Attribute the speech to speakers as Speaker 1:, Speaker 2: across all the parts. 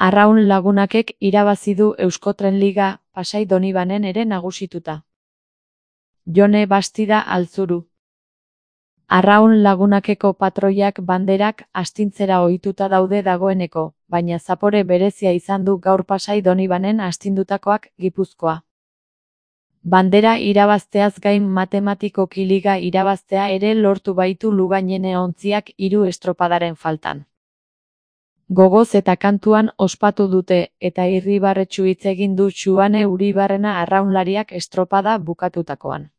Speaker 1: Arraun Lagunakek irabazi du Euskotren Liga, Pasai Donibanen ere nagusituta. Jone Bastida Altzuru. Arraun Lagunakeko patroiak banderak astintzera ohituta daude dagoeneko, baina zapore berezia izan du gaur Pasai Donibanen astindutakoak Gipuzkoa. Bandera irabazteaz gain matematikoki liga irabaztea ere lortu baitu Lugainene ontziak 3 estropadaren faltan. Gogoz eta kantuan ospatu dute, eta irribarretsu hitz egin du Xuane Uribarrena arraunlariak estropada bukatutakoan.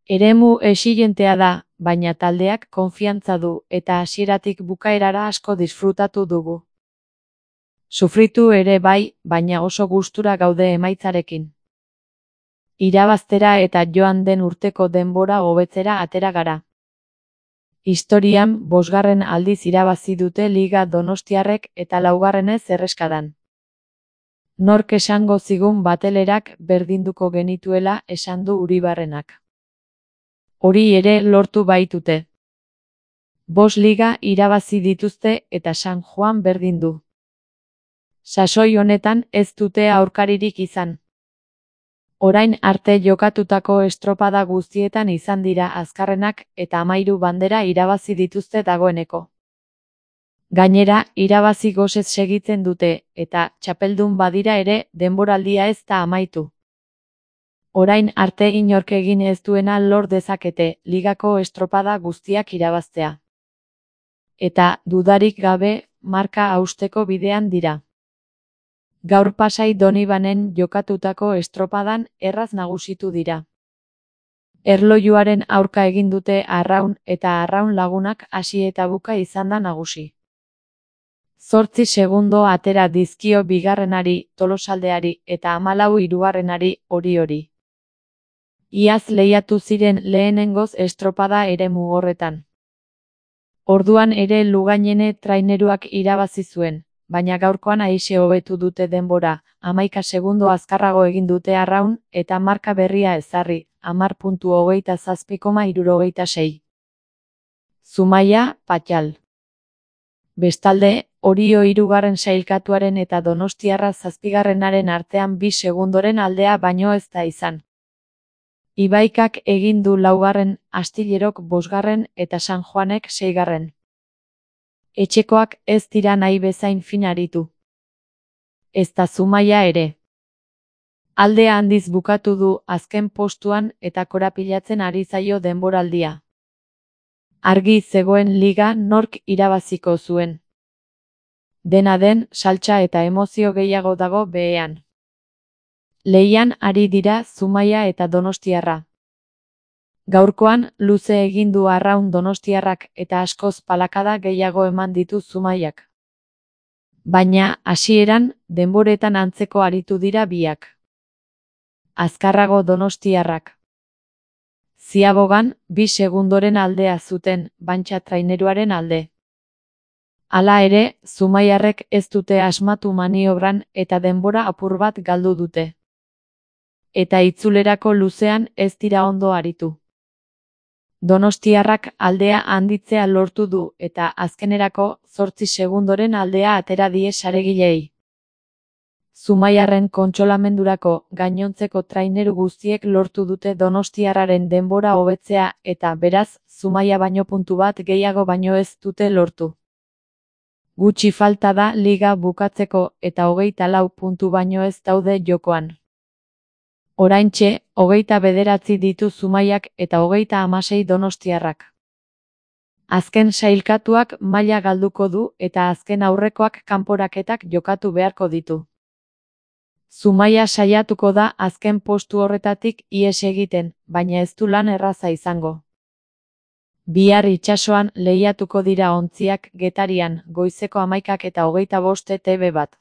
Speaker 1: Eremu exigentea da, baina taldeak konfiantza du, eta hasieratik bukaerara asko disfrutatu dugu. Sufritu ere bai, baina oso gustura gaude emaitzarekin. Irabaztera eta joan den urteko denbora hobetzera atera gara. Historian, 5. aldiz irabazi dute Liga Donostiarrek eta 4. erreskadan. Nork esango zigun batelerak berdinduko genituela esan du Uribarrenak. Hori ere lortu baitute. 5 liga irabazi dituzte eta San Juan berdin du. Sasoi honetan ez dute aurkaririk izan. Orain arte jokatutako estropada guztietan izan dira azkarrenak eta 13 bandera irabazi dituzte dagoeneko. Gainera, irabazi gozez segitzen dute, eta txapeldun badira ere denboraldia ez da amaitu. Orain arte inork egin ez duena lor dezakete, ligako estropada guztiak irabaztea. Eta, dudarik gabe, marka hausteko bidean dira. Gaur Pasai Donibanen jokatutako estropadan erraz nagusitu dira. Erlojuaren aurka egin dute Arraun eta Arraun Lagunak hasi eta buka izan da nagusi. 8 segundo atera dizkio bigarrenari, Tolosaldeari, eta 14 hirugarrenari, hori. Iaz lehiatu ziren lehenengoz estropada eremu horretan. Orduan ere Lugainene traineruak irabazi zuen. Baina gaurkoan aise hobetu dute denbora, 11 segundo azkarrago egin dute Arraun, eta marka berria ezarri, 10.27,66. Zumaia, Patxal. Bestalde, Orio 3. sailkatuaren eta Donostiarra 7. artean 2 segundoren aldea baino ez da izan. Ibaikak egin du 4., Astillerok 5. eta San Juanek 6. Etxekoak ez dira nahi bezain fin aritu. Ez da Zumaia ere. Aldea handiz bukatu du azken postuan eta korapilatzen ari zaio denboraldia. Argi zegoen liga nork irabaziko zuen. Dena den, saltsa eta emozio gehiago dago behean. Lehian ari dira Zumaia eta Donostiarra. Gaurkoan, luze egin du Arraun Donostiarrak eta askoz palakada gehiago eman ditu Zumaiak. Baina, hasieran, denboretan antzeko aritu dira biak. Azkarrago Donostiarrak. Ziabogan, 2 segundoren aldea zuten, Bantxa traineruaren alde. Hala ere, Zumaiarrek ez dute asmatu maniobran eta denbora apur bat galdu dute. Eta itzulerako luzean ez dira ondo aritu. Donostiarrak aldea handitzea lortu du eta azkenerako 8 segundoren aldea atera die saregilei. Zumaiarren kontsolamendurako gainontzeko traineru guztiek lortu dute Donostiarraren denbora hobetzea eta beraz, Zumaia baino puntu bat gehiago baino ez dute lortu. Gutxi falta da liga bukatzeko eta 24 puntu baino ez daude jokoan. Oraintxe, 29 ditu Zumaiak eta 36 Donostiarrak. Azken sailkatuak maila galduko du eta azken aurrekoak kanporaketak jokatu beharko ditu. Zumaia saiatuko da azken postu horretatik ihes egiten, baina ez du lan erraza izango. Bihar itsasoan lehiatuko dira ontziak Getarian, goizeko 11 eta 25 TV bat.